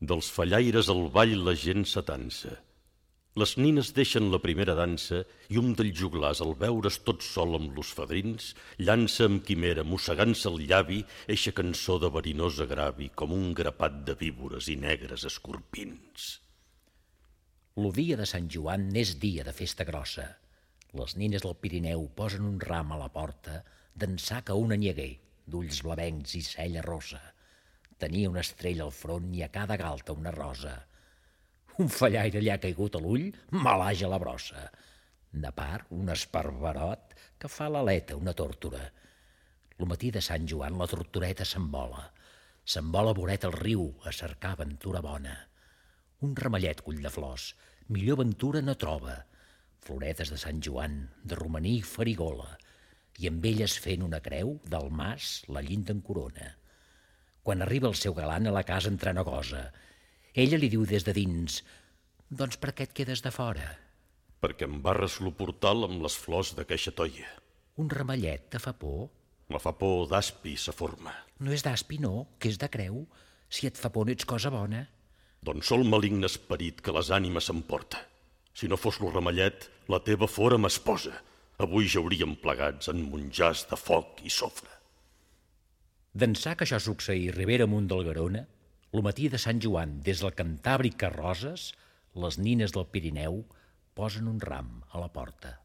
Dels fallaires al ball la gent s'atansa. Les nines deixen la primera dansa i un dels joglars, al veure's tot sol amb los fadrins, llança amb quimera, mossegant-se el llavi, eixa cançó de verinós agravi, com un grapat de víbores i negres escorpins. Lo dia de Sant Joan n'és dia de festa grossa. Les nines del Pirineu posen un ram a la porta d'ençà que un anyeguer, d'ulls blavencs i cella rossa. Tenia una estrella al front i a cada galta una rosa. Un fallaire li ha caigut a l'ull, malaja la brossa. De part, un esparverot que fa l'aleta una tórtora. Lo matí de Sant Joan la tortoreta s'envola. S'envola voret al riu a cercar aventura bona. Un ramellet cull de flors, millor ventura no troba. Floretes de Sant Joan, de romaní i farigola, i amb elles fent una creu, del mas la llinda en corona. Quan arriba el seu galant a la casa entrant a gosa, ella li diu des de dins: «Doncs per què et quedes de fora?» Perquè em barres lo portal amb les flors d'aqueixa toia. Un ramellet te fa por? Me fa por d'aspi sa forma. No és d'aspi, no, que és de creu. Si et fa por no ets cosa bona. Doncs sol maligne esperit que les ànimes s'emporta. Si no fos lo ramellet, la teva fora m'esposa. Avui jauríem plegats en monjars de foc i sofre. D'ençà que això succeí ribera amunt del Garona, lo matí de Sant Joan, des del Cantàbric a Roses, les nines del Pirineu posen un ram a la porta.